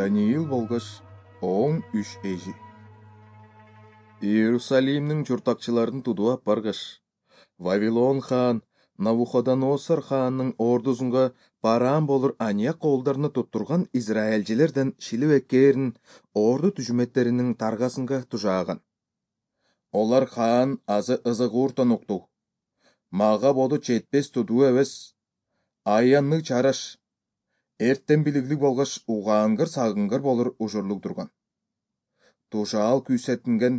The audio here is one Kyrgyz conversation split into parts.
Даниил болгоч оң үч эжи. Иерусалимдин журтакчыларын тудуп баргаш, Вавилон хаан Навуходоносор хаанын ордусунга бараан болур Аняк колдорун туттурган израилчилерден шилип эккээрин орду түжүмөттеринин таргасынга тужааган. Олар хаан азы ызыгууртон укту. Мага боду жетпес тудуу эбес, аянны чараш, эртен билиглик болгоч угаангыр сагынгыр болур ужурлук турган. Тушаал күйсеттинген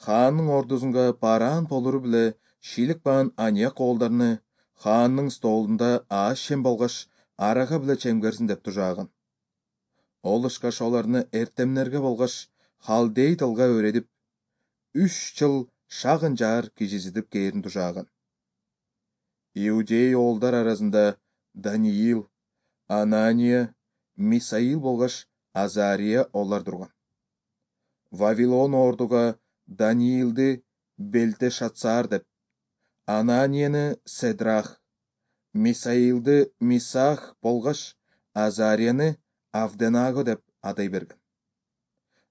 хаанын ордусунга бараан болуру биле шилик баан Аняк колдорун хаанның столунда ааш шем болгоч арага биле чемгерсин деп тужааган. Ол ышкаш оларны эртемнерге болгоч халдей тылга өйрөтүп, 3 жыл шагын жаар кичизитип кээрин тужааган. Иудей оолдар арасында Даниил, Анания, Мисаил болгоч Азария олар турган. Вавилон ордуга Даниилди Белтешацар деп, Ананияны Седрах, Мисаилди Мисах болгоч Азарияны Авденаго деп атай берген.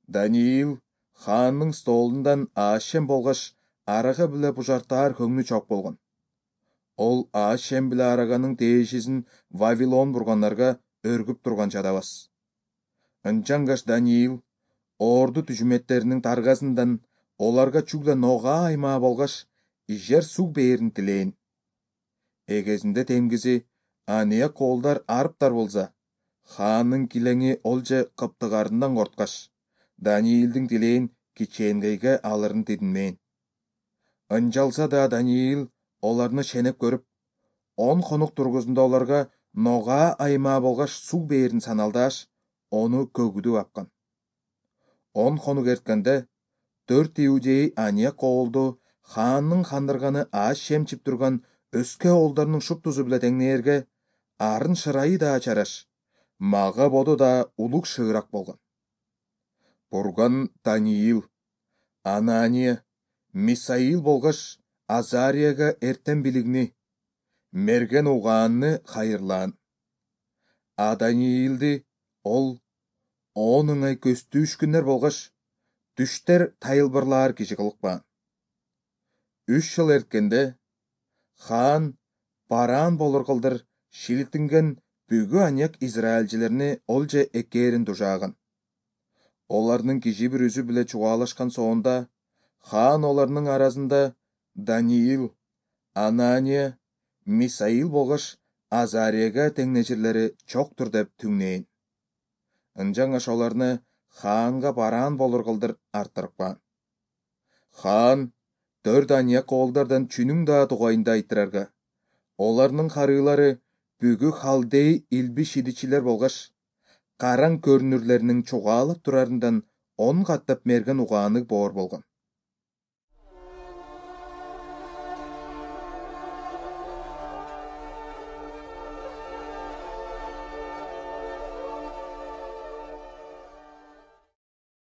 Даниил хаанның столундан аашем болгоч арага биле бужартаар көңнү чок болгон. Ол аашем биле араганын тээшисин Вавилон бургандарга өргүп турган жадабас. Ынчангаш Даниил орду түжүмөттеринин таргасындан оларга чугда нога аймаа болгоч ижер суг бээрин тилейин. Эгезинде темгизи Аняк колдар арыптар болса, хаанын килеңи олже кыптыгарындан корткаш, Даниилдин тилейин кичээнгейге алырын тидинмейин. Ынчалса да Даниил оларны шенеп көрүп, 10 конук тургузунда оларга нога аймаа болгоч суг бээрин саналдааш, ону көгүдүп апкан. 10 конук эрткенде 4 иудей Аняк оолду хаанның хандырганы ааш шемчип турган өскө оолдорунун шуптусу биле теңнээрге арын шырайы да чараш, мага боду да улук шыырак болгон. Бурган Даниил, Анания, Мисаил болгоч Азарияга эртен билигни, мерген угаанны хайырлаан. А Даниилди ол 10 ыңай көстүүш күндөр болгоч түштер тайылбырлаар киши кылыкпаан. 3 жыл эрткенде хаан бараан болур кылдыр шиликтинген бүгү Аняк израилчилерини олже эккээрин тужааган. Олардын киши бир үзү биле чугаалашкан соонда хаан оларнын арасында Даниил, Анания, Мисаил болгоч Азарияга теңнечирлери чоктур деп түңнейин. Ынчангаш оларны хаанга бараан болур кылдыр арттырыкпаан. Хаан 4 Аняк оолдардан чүнүң да тугайында айтырарга, оларнын карыылары бүгү халдей илби шидичилер болгоч, караң көрүнүрлеринин чугаалап турарындан 10 каттап мерген угааны боор болгон.